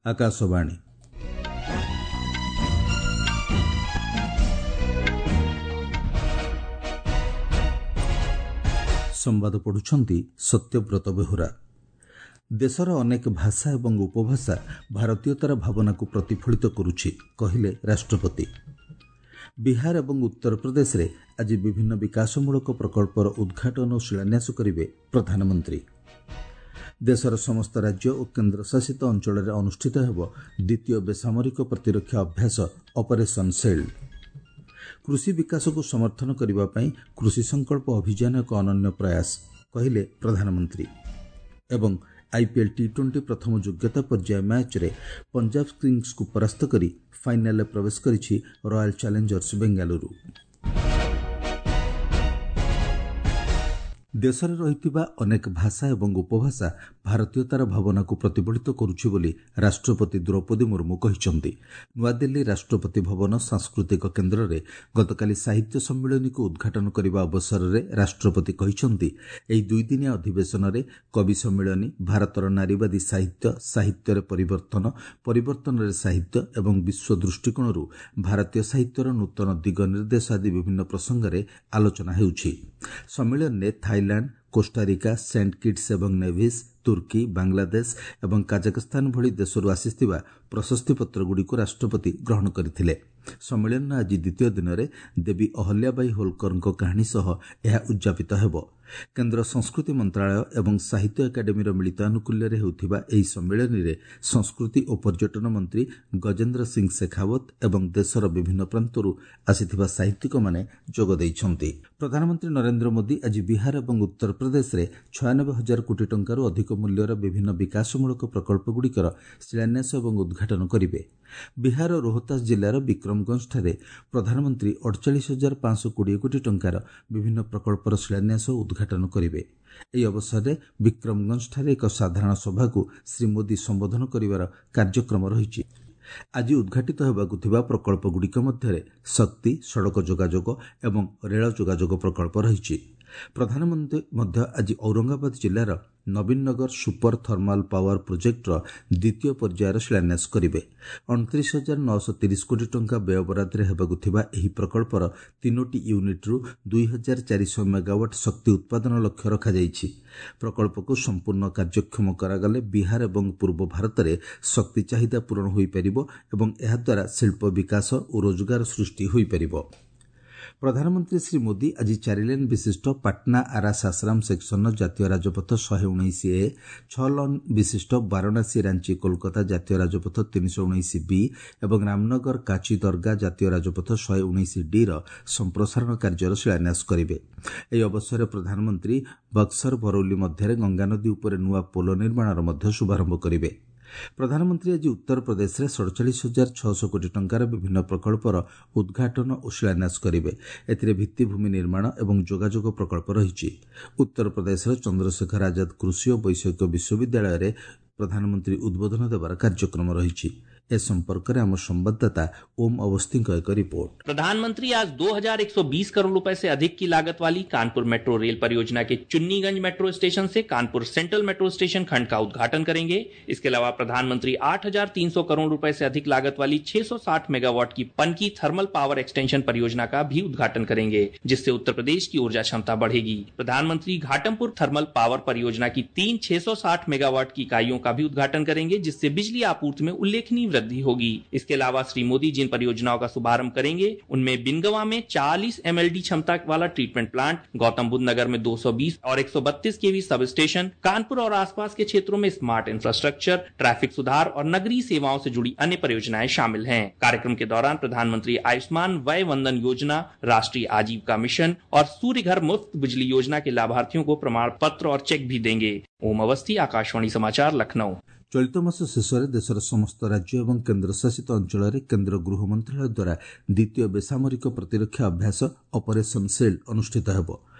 ଆକାଶବାଣୀ। ସମ୍ବାଦ ପଢୁଛନ୍ତି ସତ୍ୟବ୍ରତ ବେହୁରା। ଦେଶର ଅନେକ ଭାଷା ଏବଂ ଉପଭାଷା ଭାରତୀୟତାର ଭାବନାକୁ ପ୍ରତିଫଳିତ କରୁଛି, କହିଲେ ରାଷ୍ଟ୍ରପତି। ବିହାର ଏବଂ ଉତ୍ତରପ୍ରଦେଶରେ ଆଜି ବିଭିନ୍ନ ବିକାଶମୂଳକ ପ୍ରକଳ୍ପର ଉଦ୍ଘାଟନ ଓ ଶିଳାନ୍ୟାସ କରିବେ ପ୍ରଧାନମନ୍ତ୍ରୀ। ଦେଶର ସମସ୍ତ ରାଜ୍ୟ ଓ କେନ୍ଦ୍ରଶାସିତ ଅଞ୍ଚଳରେ ଅନୁଷ୍ଠିତ ହେବ ଦ୍ୱିତୀୟ ବେସାମରିକ ପ୍ରତିରକ୍ଷା ଅଭ୍ୟାସ ଅପରେସନ୍ ସିଲ୍ଡ। କୃଷି ବିକାଶକୁ ସମର୍ଥନ କରିବା ପାଇଁ କୃଷି ସଂକଳ୍ପ ଅଭିଯାନ ଏକ ଅନନ୍ୟ ପ୍ରୟାସ, କହିଲେ ପ୍ରଧାନମନ୍ତ୍ରୀ। ଏବଂ ଆଇପିଏଲ୍ ଟି-20 ପ୍ରଥମ ଯୋଗ୍ୟତା ପର୍ଯ୍ୟାୟ ମ୍ୟାଚ୍ରେ ପଞ୍ଜାବ କିଙ୍ଗସ୍କୁ ପରାସ୍ତ କରି ଫାଇନାଲରେ ପ୍ରବେଶ କରିଛି ରୟାଲ ଚ୍ୟାଲେଞ୍ଜର୍ସ ବେଙ୍ଗାଲୁରୁ। ଦେଶରେ ରହିଥିବା ଅନେକ ଭାଷା ଏବଂ ଉପଭାଷା ଭାରତୀୟତାର ଭାବନାକୁ ପ୍ରତିଫଳିତ କରୁଛି ବୋଲି ରାଷ୍ଟ୍ରପତି ଦ୍ରୌପଦୀ ମୁର୍ମୁ କହିଛନ୍ତି। ନୂଆଦିଲ୍ଲୀ ରାଷ୍ଟ୍ରପତି ଭବନ ସାଂସ୍କୃତିକ କେନ୍ଦ୍ରରେ ଗତକାଲି ସାହିତ୍ୟ ସମ୍ମିଳନୀକୁ ଉଦ୍ଘାଟନ କରିବା ଅବସରରେ ରାଷ୍ଟ୍ରପତି କହିଛନ୍ତି, ଏହି ଦୁଇଦିନିଆ ଅଧିବେଶନରେ କବି ସମ୍ମିଳନୀ, ଭାରତର ନାରୀବାଦୀ ସାହିତ୍ୟ, ସାହିତ୍ୟରେ ପରିବର୍ତ୍ତନ, ପରିବର୍ତ୍ତନରେ ସାହିତ୍ୟ ଏବଂ ବିଶ୍ୱ ଦୃଷ୍ଟିକୋଣରୁ ଭାରତୀୟ ସାହିତ୍ୟର ନୂତନ ଦିଗ ନିର୍ଦ୍ଦେଶ ଆଦି ବିଭିନ୍ନ ପ୍ରସଙ୍ଗରେ ଆଲୋଚନା ହେଉଛି। ସମ୍ମିଳନୀରେ ଥାଇଲାଣ୍ଡ, କୋଷ୍ଟାରିକା, ସେଣ୍ଟ କିଟ୍ସ ଏବଂ ନେଭିସ୍, ତୁର୍କୀ, ବାଂଲାଦେଶ ଏବଂ କାଜାକସ୍ତାନ ଭଳି ଦେଶରୁ ଆସିଥିବା ପ୍ରଶସ୍ତିପତ୍ରଗୁଡ଼ିକୁ ରାଷ୍ଟ୍ରପତି ଗ୍ରହଣ କରିଥିଲେ। ସମ୍ମିଳନୀର ଆଜି ଦ୍ୱିତୀୟ ଦିନରେ ଦେବୀ ଅହଲ୍ୟାବାଇ ହୋଲକରଙ୍କ କାହାଣୀ ସହ ଏହା ଉଦ୍ଯାପିତ ହେବ। କେନ୍ଦ୍ର ସଂସ୍କୃତି ମନ୍ତ୍ରଣାଳୟ ଏବଂ ସାହିତ୍ୟ ଏକାଡେମୀର ମିଳିତ ଆନୁକୂଲ୍ୟରେ ହେଉଥିବା ଏହି ସମ୍ମିଳନୀରେ ସଂସ୍କୃତି ଓ ପର୍ଯ୍ୟଟନ ମନ୍ତ୍ରୀ ଗଜେନ୍ଦ୍ର ସିଂ ଶେଖାଓ୍ୱତ ଏବଂ ଦେଶର ବିଭିନ୍ନ ପ୍ରାନ୍ତରୁ ଆସିଥିବା ସାହିତ୍ୟିକମାନେ ଯୋଗ ଦେଇଛନ୍ତି। ପ୍ରଧାନମନ୍ତ୍ରୀ ନରେନ୍ଦ୍ର ମୋଦି ଆଜି ବିହାର ଏବଂ ଉତ୍ତରପ୍ରଦେଶରେ 96 ହଜାର କୋଟି ଟଙ୍କାରୁ ଅଧିକ ମୂଲ୍ୟର ବିଭିନ୍ନ ବିକାଶମୂଳକ ପ୍ରକଳ୍ପଗୁଡ଼ିକର ଶିଳାନ୍ୟାସ ଏବଂ ଉଦ୍ଘାଟନ କରିବେ। ବିହାର ରୋହତାସ ଜିଲ୍ଲାର ବିକ୍ରମଗଞ୍ଜଠାରେ ପ୍ରଧାନମନ୍ତ୍ରୀ 48,520 କୋଟି ଟଙ୍କାର ବିଭିନ୍ନ ପ୍ରକଳ୍ପର ଶିଳାନ୍ୟାସ ଓ ଉଦ୍ଘାଟନ କରିବେ। ଏହି ଅବସରରେ ବିକ୍ରମଗଞ୍ଜଠାରେ ଏକ ସାଧାରଣ ସଭାକୁ ଶ୍ରୀ ମୋଦି ସମ୍ବୋଧନ କରିବାର କାର୍ଯ୍ୟକ୍ରମ ରହିଛି। ଆଜି ଉଦ୍ଘାଟିତ ହେବାକୁ ଥିବା ପ୍ରକଳ୍ପଗୁଡ଼ିକ ମଧ୍ୟରେ ଶକ୍ତି, ସଡ଼କ ଯୋଗାଯୋଗ ଏବଂ ରେଳ ଯୋଗାଯୋଗ ପ୍ରକଳ୍ପ ରହିଛି। ପ୍ରଧାନମନ୍ତ୍ରୀ ମଧ୍ୟ ଆଜି ଔରଙ୍ଗାବାଦ ଜିଲ୍ଲାର ନବୀନନଗର ସୁପର ଥର୍ମାଲ ପାୱାର ପ୍ରୋଜେକ୍ଟର ଦ୍ୱିତୀୟ ପର୍ଯ୍ୟାୟର ଶିଳାନ୍ୟାସ କରିବେ। 29,930 କୋଟି ଟଙ୍କା ବ୍ୟୟବରାଦରେ ହେବାକୁ ଥିବା ଏହି ପ୍ରକଳ୍ପର ତିନୋଟି ୟୁନିଟ୍ରୁ 2400 ମେଗାୱାଟ୍ ଶକ୍ତି ଉତ୍ପାଦନ ଲକ୍ଷ୍ୟ ରଖାଯାଇଛି। ପ୍ରକଳ୍ପକୁ ସମ୍ପୂର୍ଣ୍ଣ କାର୍ଯ୍ୟକ୍ଷମ କରାଗଲେ ବିହାର ଏବଂ ପୂର୍ବ ଭାରତରେ ଶକ୍ତି ଚାହିଦା ପୂରଣ ହୋଇପାରିବ ଏବଂ ଏହାଦ୍ୱାରା ଶିଳ୍ପ ବିକାଶ ଓ ରୋଜଗାର ସୃଷ୍ଟି ହୋଇପାରିବ। ପ୍ରଧାନମନ୍ତ୍ରୀ ଶ୍ରୀ ମୋଦି ଆଜି ଚାରିଲେନ୍ ବିଶିଷ୍ଟ ପାଟନା ଆରା ସାସରାମ ସେକ୍ସନର ଜାତୀୟ ରାଜପଥ 119 ଏ, ଛଅ ଲେନ୍ ବିଶିଷ୍ଟ ବାରାଣସୀ ରାଞ୍ଚି କୋଲକାତା ଜାତୀୟ ରାଜପଥ 319 ବି ଏବଂ ରାମନଗର କାଚି ଦରଗା ଜାତୀୟ ରାଜପଥ 119 ଡିର ସମ୍ପ୍ରସାରଣ କାର୍ଯ୍ୟର ଶିଳାନ୍ୟାସ କରିବେ। ଏହି ଅବସରରେ ପ୍ରଧାନମନ୍ତ୍ରୀ ବକ୍ସର ବରୌଲି ମଧ୍ୟରେ ଗଙ୍ଗାନଦୀ ଉପରେ ନୂଆ ପୋଲ ନିର୍ମାଣର ମଧ୍ୟ ଶୁଭାରମ୍ଭ କରିବେ। ପ୍ରଧାନମନ୍ତ୍ରୀ ଆଜି ଉତ୍ତରପ୍ରଦେଶରେ 47,600 କୋଟି ଟଙ୍କାର ବିଭିନ୍ନ ପ୍ରକଳ୍ପର ଉଦ୍ଘାଟନ ଓ ଶିଳାନ୍ୟାସ କରିବେ। ଏଥିରେ ଭିତ୍ତିଭୂମି ନିର୍ମାଣ ଏବଂ ଯୋଗାଯୋଗ ପ୍ରକଳ୍ପ ରହିଛି। ଉତ୍ତରପ୍ରଦେଶର ଚନ୍ଦ୍ରଶେଖର ଆଜାଦ କୃଷି ଓ ବୈଷୟିକ ବିଶ୍ୱବିଦ୍ୟାଳୟରେ ପ୍ରଧାନମନ୍ତ୍ରୀ ଉଦ୍ବୋଧନ ଦେବାର କାର୍ଯ୍ୟକ୍ରମ ରହିଛି। ଏ ସମ୍ପର୍କରେ ଆମ ସମ୍ବାଦଦାତା ଓମ୍ ଅବସ୍ଥିଙ୍କ ଏକ ରିପୋର୍ଟ। प्रधानमंत्री आज 2120 करोड़ रुपए से अधिक की लागत वाली कानपुर मेट्रो रेल परियोजना के चुन्नीगंज मेट्रो स्टेशन से कानपुर सेंट्रल मेट्रो स्टेशन खंड का उद्घाटन करेंगे। इसके अलावा प्रधानमंत्री 8300 करोड़ रुपए से अधिक लागत वाली 660 मेगावाट की पनकी थर्मल पावर एक्सटेंशन परियोजना का भी उद्घाटन करेंगे, जिससे उत्तर प्रदेश की ऊर्जा क्षमता बढ़ेगी। प्रधानमंत्री घाटमपुर थर्मल पावर परियोजना की तीन 660 मेगावाट की इकाइयों का भी उद्घाटन करेंगे, जिससे बिजली आपूर्ति में उल्लेखनीय वृद्धि होगी। इसके अलावा श्री मोदी जिन परियोजनाओं का शुभारंभ करेंगे, उनमें बिनगवा में 40 एमएलडी क्षमता वाला ट्रीटमेंट प्लांट, गौतम बुद्ध नगर में 220 और 132 केवी सब स्टेशन, कानपुर और आसपास के क्षेत्रों में स्मार्ट इंफ्रास्ट्रक्चर, ट्रैफिक सुधार और नगरीय सेवाओं से जुड़ी अन्य परियोजनाएं शामिल हैं। कार्यक्रम के दौरान प्रधानमंत्री आयुष्मान वय वंदन योजना, राष्ट्रीय आजीविका मिशन और सूर्य घर मुफ्त बिजली योजना के लाभार्थियों को प्रमाण पत्र और चेक भी देंगे। ओम अवस्थी, आकाशवाणी समाचार, लखनऊ। ଚଳିତ ମାସ ଶେଷରେ ଦେଶର ସମସ୍ତ ରାଜ୍ୟ ଏବଂ କେନ୍ଦ୍ରଶାସିତ ଅଞ୍ଚଳରେ କେନ୍ଦ୍ର ଗୃହ ମନ୍ତ୍ରଣାଳୟ ଦ୍ୱାରା ଦ୍ୱିତୀୟ ବେସାମରିକ ପ୍ରତିରକ୍ଷା ଅଭ୍ୟାସ ଅପରେସନ୍ ସିଲ୍ଡ ଅନୁଷ୍ଠିତ ହେବ।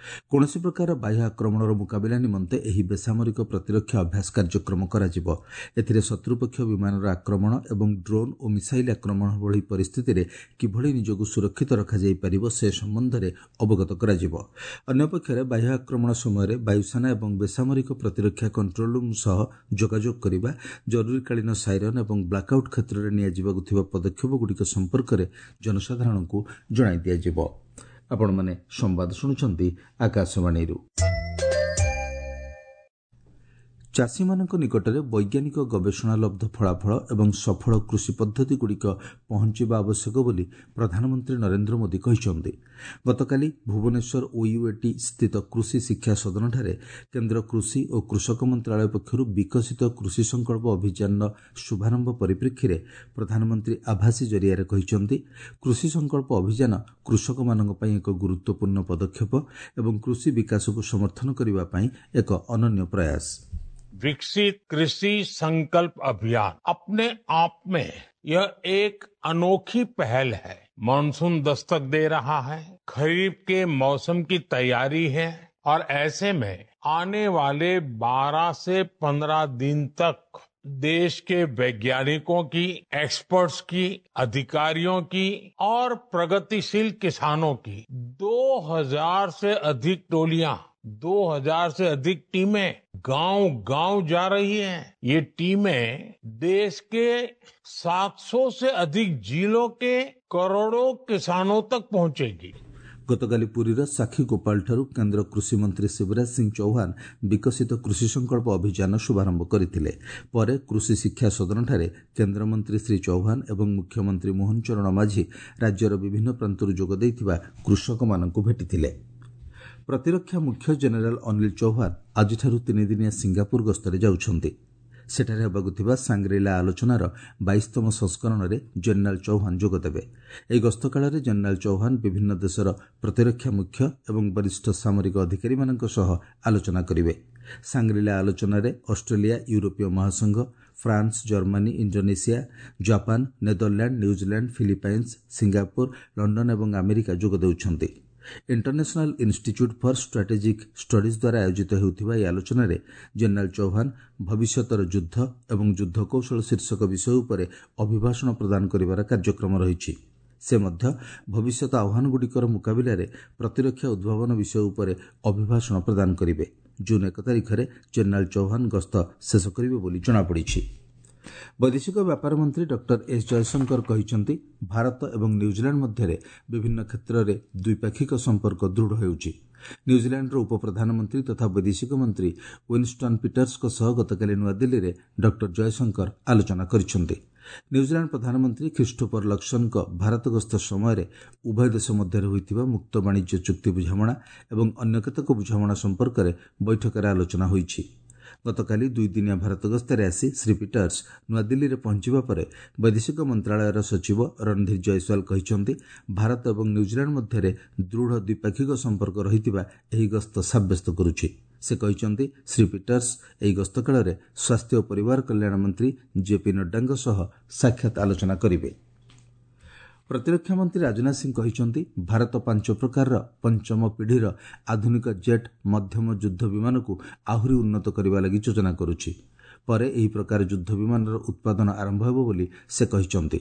କୌଣସି ପ୍ରକାର ବାହ୍ୟ ଆକ୍ରମଣର ମୁକାବିଲା ନିମନ୍ତେ ଏହି ବେସାମରିକ ପ୍ରତିରକ୍ଷା ଅଭ୍ୟାସ କାର୍ଯ୍ୟକ୍ରମ କରାଯିବ। ଏଥିରେ ଶତ୍ରୁପକ୍ଷ ବିମାନର ଆକ୍ରମଣ ଏବଂ ଡ୍ରୋନ୍ ଓ ମିସାଇଲ୍ ଆକ୍ରମଣ ଭଳି ପରିସ୍ଥିତିରେ କିଭଳି ନିଜକୁ ସୁରକ୍ଷିତ ରଖାଯାଇପାରିବ ସେ ସମ୍ବନ୍ଧରେ ଅବଗତ କରାଯିବ। ଅନ୍ୟପକ୍ଷରେ ବାହ୍ୟ ଆକ୍ରମଣ ସମୟରେ ବାୟୁସେନା ଏବଂ ବେସାମରିକ ପ୍ରତିରକ୍ଷା କଣ୍ଟ୍ରୋଲ ରୁମ୍ ସହ ଯୋଗାଯୋଗ କରିବା, ଜରୁରୀକାଳୀନ ସାଇରନ୍ ଏବଂ ବ୍ଲାକ୍ଆଉଟ୍ କ୍ଷେତ୍ରରେ ନିଆଯିବାକୁ ଥିବା ପଦକ୍ଷେପଗୁଡ଼ିକ ସମ୍ପର୍କରେ ଜନସାଧାରଣଙ୍କୁ ଜଣାଇ ଦିଆଯିବ। ଆପଣମାନେ ସମ୍ବାଦ ଶୁଣୁଛନ୍ତି ଆକାଶବାଣୀରୁ। ଚାଷୀମାନଙ୍କ ନିକଟରେ ବୈଜ୍ଞାନିକ ଗବେଷଣାଲବ୍ଧ ଫଳାଫଳ ଏବଂ ସଫଳ କୃଷି ପଦ୍ଧତିଗୁଡ଼ିକ ପହଞ୍ଚିବା ଆବଶ୍ୟକ ବୋଲି ପ୍ରଧାନମନ୍ତ୍ରୀ ନରେନ୍ଦ୍ର ମୋଦି କହିଛନ୍ତି। ଗତକାଲି ଭୁବନେଶ୍ୱର ଓୟୁଏଟି ସ୍ଥିତ କୃଷି ଶିକ୍ଷା ସଦନଠାରେ କେନ୍ଦ୍ର କୃଷି ଓ କୃଷକ ମନ୍ତ୍ରାଳୟ ପକ୍ଷରୁ ବିକଶିତ କୃଷି ସଂକଳ୍ପ ଅଭିଯାନର ଶୁଭାରମ୍ଭ ପରିପ୍ରେକ୍ଷୀରେ ପ୍ରଧାନମନ୍ତ୍ରୀ ଆଭାସୀ ଜରିଆରେ କହିଛନ୍ତି, କୃଷି ସଂକଳ୍ପ ଅଭିଯାନ କୃଷକମାନଙ୍କ ପାଇଁ ଏକ ଗୁରୁତ୍ୱପୂର୍ଣ୍ଣ ପଦକ୍ଷେପ ଏବଂ କୃଷି ବିକାଶକୁ ସମର୍ଥନ କରିବା ପାଇଁ ଏକ ଅନନ୍ୟ ପ୍ରୟାସ। विकसित कृषि संकल्प अभियान अपने आप में यह एक अनोखी पहल है। मानसून दस्तक दे रहा है, खरीफ के मौसम की तैयारी है और ऐसे में आने वाले 12 से 15 दिन तक देश के वैज्ञानिकों की, एक्सपर्ट्स की, अधिकारियों की और प्रगतिशील किसानों की 2000 से अधिक टोलियां, 2000 से अधिक टीमें गांव-गांव जा रही हैं। ये टीमें देश के 700 से अधिक जिलों के करोड़ों किसानों तक पहुंचेगी। ଗତକାଲି ପୁରୀର ସାକ୍ଷୀ ଗୋପାଳଠାରୁ କେନ୍ଦ୍ର କୃଷିମନ୍ତ୍ରୀ ଶିବରାଜ ସିଂ ଚୌହାନ ବିକଶିତ କୃଷି ସଂକଳ୍ପ ଅଭିଯାନ ଶୁଭାରମ୍ଭ କରିଥିଲେ। ପରେ କୃଷି ଶିକ୍ଷା ସଦନଠାରେ କେନ୍ଦ୍ରମନ୍ତ୍ରୀ ଶ୍ରୀ ଚୌହାନ ଏବଂ ମୁଖ୍ୟମନ୍ତ୍ରୀ ମୋହନ ଚରଣ ମାଝୀ ରାଜ୍ୟର ବିଭିନ୍ନ ପ୍ରାନ୍ତରୁ ଯୋଗ ଦେଇଥିବା କୃଷକମାନଙ୍କୁ ଭେଟିଥିଲେ। ପ୍ରତିରକ୍ଷା ମୁଖ୍ୟ ଜେନେରାଲ ଅନିଲ ଚୌହାନ ଆଜିଠାରୁ ତିନିଦିନିଆ ସିଙ୍ଗାପୁର ଗସ୍ତରେ ଯାଉଛନ୍ତି। ସେଠାରେ ହେବାକୁ ଥିବା ସାଙ୍ଗ୍ରିଲା ଆଲୋଚନାର 22ତମ ସଂସ୍କରଣରେ ଜେନେରାଲ ଚୌହାନ ଯୋଗଦେବେ। ଏହି ଗସ୍ତକାଳରେ ଜେନେରାଲ ଚୌହାନ ବିଭିନ୍ନ ଦେଶର ପ୍ରତିରକ୍ଷା ମୁଖ୍ୟ ଏବଂ ବରିଷ୍ଠ ସାମରିକ ଅଧିକାରୀମାନଙ୍କ ସହ ଆଲୋଚନା କରିବେ। ସାଙ୍ଗ୍ରିଲା ଆଲୋଚନାରେ ଅଷ୍ଟ୍ରେଲିଆ, ୟୁରୋପୀୟ ମହାସଂଘ, France, Germany, Indonesia, Japan, Netherland, New Zealand, Philippines, Singapore, London ଏବଂ ଆମେରିକା ଯୋଗ ଦେଉଛନ୍ତି। International institute for strategic studies ଦ୍ୱାରା ଆୟୋଜିତ ହେଉଥିବା ଏହି ଆଲୋଚନାରେ ଜେନେରାଲ ଚୌହାନ ଭବିଷ୍ୟତର ଯୁଦ୍ଧ ଏବଂ ଯୁଦ୍ଧ କୌଶଳ ଶୀର୍ଷକ ବିଷୟ ଉପରେ ଅଭିଭାଷଣ ପ୍ରଦାନ କରିବାର କାର୍ଯ୍ୟକ୍ରମ ରହିଛି। ସେ ମଧ୍ୟ ଭବିଷ୍ୟତ ଆହ୍ୱାନଗୁଡ଼ିକର ମୁକାବିଲାରେ ପ୍ରତିରକ୍ଷା ଉଦ୍ଭାବନ ବିଷୟ ଉପରେ ଅଭିଭାଷଣ ପ୍ରଦାନ କରିବେ। ଜୁନ୍ 1 ତାରିଖରେ ଜେନେରାଲ ଚୌହାନ ଗସ୍ତ ଶେଷ କରିବେ ବୋଲି ଜଣାପଡ଼ିଛି। ବୈଦେଶିକ ବ୍ୟାପାର ମନ୍ତ୍ରୀ ଡକ୍ଟର ଏସ୍ ଜୟଶଙ୍କର କହିଛନ୍ତି, ଭାରତ ଏବଂ ନ୍ୟୁଜିଲାଣ୍ଡ ମଧ୍ୟରେ ବିଭିନ୍ନ କ୍ଷେତ୍ରରେ ଦ୍ୱିପାକ୍ଷିକ ସମ୍ପର୍କ ଦୃଢ଼ ହେଉଛି। ନ୍ୟୁଜିଲାଣ୍ଡର ଉପପ୍ରଧାନମନ୍ତ୍ରୀ ତଥା ବୈଦେଶିକ ମନ୍ତ୍ରୀ ୱିନ୍ଷ୍ଟନ୍ ପିଟର୍ସଙ୍କ ସହ ଗତକାଲି ନୂଆଦିଲ୍ଲୀରେ ଡକ୍ଟର ଜୟଶଙ୍କର ଆଲୋଚନା କରିଛନ୍ତି। ନ୍ୟୁଜିଲାଣ୍ଡ ପ୍ରଧାନମନ୍ତ୍ରୀ ଖ୍ରୀଷ୍ଟୋଫର ଲକ୍ସନଙ୍କ ଭାରତ ଗସ୍ତ ସମୟରେ ଉଭୟ ଦେଶ ମଧ୍ୟରେ ହୋଇଥିବା ମୁକ୍ତ ବାଣିଜ୍ୟ ଚୁକ୍ତି ବୁଝାମଣା ଏବଂ ଅନ୍ୟ କେତେକ ବୁଝାମଣା ସମ୍ପର୍କରେ ବୈଠକରେ ଆଲୋଚନା ହୋଇଛି। ଗତକାଲି ଦୁଇଦିନିଆ ଭାରତ ଗସ୍ତରେ ଆସି ଶ୍ରୀ ପିଟର୍ସ ନୂଆଦିଲ୍ଲୀରେ ପହଞ୍ଚିବା ପରେ ବୈଦେଶିକ ମନ୍ତ୍ରଣାଳୟର ସଚିବ ରଣଧୀର ଜୟସ୍ୱାଲ କହିଛନ୍ତି, ଭାରତ ଏବଂ ନ୍ୟୁଜିଲାଣ୍ଡ ମଧ୍ୟରେ ଦୃଢ଼ ଦ୍ୱିପାକ୍ଷିକ ସମ୍ପର୍କ ରହିଥିବା ଏହି ଗସ୍ତ ସାବ୍ୟସ୍ତ କରୁଛି। ସେ କହିଛନ୍ତି, ଶ୍ରୀ ପିଟର୍ସ ଏହି ଗସ୍ତ କାଳରେ ସ୍ୱାସ୍ଥ୍ୟ ଓ ପରିବାର କଲ୍ୟାଣ ମନ୍ତ୍ରୀ ଜେପି ନଡ୍ଡାଙ୍କ ସହ ସାକ୍ଷାତ ଆଲୋଚନା କରିବେ। ପ୍ରତିରକ୍ଷା ମନ୍ତ୍ରୀ ରାଜନାଥ ସିଂ କହିଛନ୍ତି, ଭାରତ 5 ପ୍ରକାରର ପଞ୍ଚମ ପିଢ଼ିର ଆଧୁନିକ ଜେଟ୍ ମଧ୍ୟମ ଯୁଦ୍ଧ ବିମାନକୁ ଆହୁରି ଉନ୍ନତ କରିବା ଲାଗି ଯୋଜନା କରୁଛି। ପରେ ଏହି ପ୍ରକାର ଯୁଦ୍ଧ ବିମାନର ଉତ୍ପାଦନ ଆରମ୍ଭ ହେବ ବୋଲି ସେ କହିଛନ୍ତି।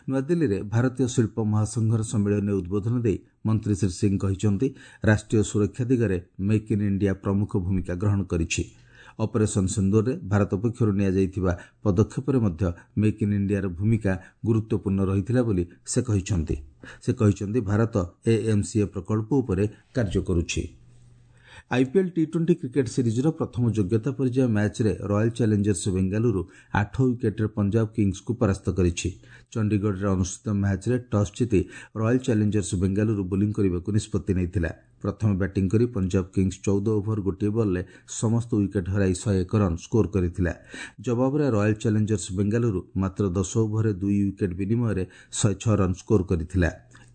ନୂଆଦିଲ୍ଲୀରେ ଭାରତୀୟ ଶିଳ୍ପ ମହାସଂଘର ସମ୍ମିଳନୀରେ ଉଦ୍ବୋଧନ ଦେଇ ମନ୍ତ୍ରୀ ଶ୍ରୀ ସିଂ କହିଛନ୍ତି, ରାଷ୍ଟ୍ରୀୟ ସୁରକ୍ଷା ଦିଗରେ ମେକ୍ ଇନ୍ ଇଣ୍ଡିଆ ପ୍ରମୁଖ ଭୂମିକା ଗ୍ରହଣ କରିଛି। ଅପରେସନ୍ ସିନ୍ଦୁରରେ ଭାରତ ପକ୍ଷରୁ ନିଆଯାଇଥିବା ପଦକ୍ଷେପରେ ମଧ୍ୟ ମେକ୍ ଇନ୍ ଇଣ୍ଡିଆର ଭୂମିକା ଗୁରୁତ୍ୱପୂର୍ଣ୍ଣ ରହିଥିଲା ବୋଲି ସେ କହିଛନ୍ତି। ସେ କହିଛନ୍ତି, ଭାରତ ଏଏମ୍ସିଏ ପ୍ରକଳ୍ପ ଉପରେ କାର୍ଯ୍ୟ କରୁଛି। ଆଇପିଏଲ୍ ଟି-20 କ୍ରିକେଟ୍ ସିରିଜ୍ର ପ୍ରଥମ ଯୋଗ୍ୟତା ପର୍ଯ୍ୟାୟ ମ୍ୟାଚ୍ରେ ରୟାଲ୍ ଚ୍ୟାଲେଞ୍ଜର୍ସ ବେଙ୍ଗାଲୁରୁ 8 ୱିକେଟ୍ରେ ପଞ୍ଜାବ କିଙ୍ଗସ୍କୁ ପରାସ୍ତ କରିଛି। ଚଣ୍ଡିଗଡ଼ରେ ଅନୁଷ୍ଠିତ ମ୍ୟାଚ୍ରେ ଟସ୍ ଜିତି ରୟାଲ୍ ଚ୍ୟାଲେଞ୍ଜର୍ସ ବେଙ୍ଗାଲୁରୁ ବୋଲିଂ କରିବାକୁ ନିଷ୍ପତ୍ତି ନେଇଥିଲା। ପ୍ରଥମେ ବ୍ୟାଟିଂ କରି ପଞ୍ଜାବ କିଙ୍ଗସ୍ 14 ଓଭର ଗୋଟିଏ ବଲ୍ରେ ସମସ୍ତ ୱିକେଟ୍ ହରାଇ 101 ରନ୍ ସ୍କୋର କରିଥିଲା। ଜବାବରେ ରୟାଲ୍ ଚ୍ୟାଲେଞ୍ଜର୍ସ ବେଙ୍ଗାଲୁରୁ ମାତ୍ର 10 ଓଭରରେ 2 ୱିକେଟ୍ ବିନିମୟରେ 106 ରନ୍ ସ୍କୋର କରିଥିଲା।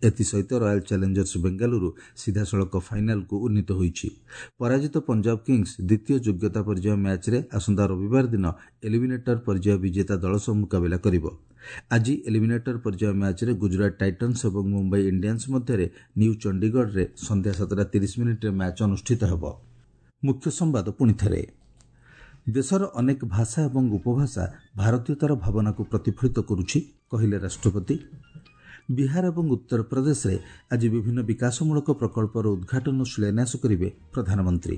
ଏଥିସହିତ ରୟାଲ ଚ୍ୟାଲେଞ୍ଜର୍ସ ବେଙ୍ଗାଲୁରୁ ସିଧାସଳଖ ଫାଇନାଲକୁ ଉନ୍ନୀତ ହୋଇଛି। ପରାଜିତ ପଞ୍ଜାବ କିଙ୍ଗସ୍ ଦ୍ୱିତୀୟ ଯୋଗ୍ୟତା ପର୍ଯ୍ୟାୟ ମ୍ୟାଚ୍ରେ ଆସନ୍ତା ରବିବାର ଦିନ ଏଲିମିନେଟର ପର୍ଯ୍ୟାୟ ବିଜେତା ଦଳ ସହ ମୁକାବିଲା କରିବ। ଆଜି ଏଲିମିନେଟର ପର୍ଯ୍ୟାୟ ମ୍ୟାଚ୍ରେ ଗୁଜରାଟ ଟାଇଟନ୍ସ ଏବଂ ମୁମ୍ବାଇ ଇଣ୍ଡିଆନ୍ସ ମଧ୍ୟରେ ନ୍ୟୁ ଚଣ୍ଡିଗଡ଼ରେ ସନ୍ଧ୍ୟା 7ଟା 30 ମିନିଟ୍ରେ ମ୍ୟାଚ୍ ଅନୁଷ୍ଠିତ ହେବ। ମୁଖ୍ୟ ସମ୍ବାଦ ପୁଣିଥରେ। ଦେଶର ଅନେକ ଭାଷା ଏବଂ ଉପଭାଷା ଭାରତୀୟତାର ଭାବନାକୁ ପ୍ରତିଫଳିତ କରୁଛି, କହିଲେ ରାଷ୍ଟ୍ରପତି। ବିହାର ଏବଂ ଉତ୍ତରପ୍ରଦେଶରେ ଆଜି ବିଭିନ୍ନ ବିକାଶମୂଳକ ପ୍ରକଳ୍ପର ଉଦ୍ଘାଟନ ଓ ଶିଳାନ୍ୟାସ କରିବେ ପ୍ରଧାନମନ୍ତ୍ରୀ।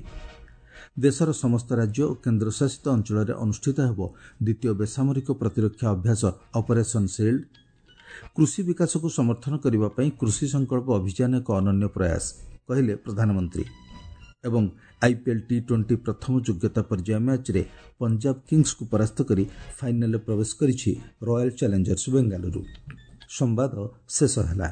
ଦେଶର ସମସ୍ତ ରାଜ୍ୟ ଓ କେନ୍ଦ୍ରଶାସିତ ଅଞ୍ଚଳରେ ଅନୁଷ୍ଠିତ ହେବ ଦ୍ୱିତୀୟ ବେସାମରିକ ପ୍ରତିରକ୍ଷା ଅଭ୍ୟାସ ଅପରେସନ୍ ସିଲ୍ଡ। କୃଷି ବିକାଶକୁ ସମର୍ଥନ କରିବା ପାଇଁ କୃଷି ସଂକଳ୍ପ ଅଭିଯାନ ଏକ ଅନନ୍ୟ ପ୍ରୟାସ, କହିଲେ ପ୍ରଧାନମନ୍ତ୍ରୀ। ଏବଂ ଆଇପିଏଲ୍ ଟି-20 ପ୍ରଥମ ଯୋଗ୍ୟତା ପର୍ଯ୍ୟାୟ ମ୍ୟାଚ୍ରେ ପଞ୍ଜାବ କିଙ୍ଗସ୍କୁ ପରାସ୍ତ କରି ଫାଇନାଲରେ ପ୍ରବେଶ କରିଛି ରୟାଲ ଚ୍ୟାଲେଞ୍ଜର୍ସ ବେଙ୍ଗାଲୁରୁ। ସମ୍ବାଦ ଶେଷ ହେଲା।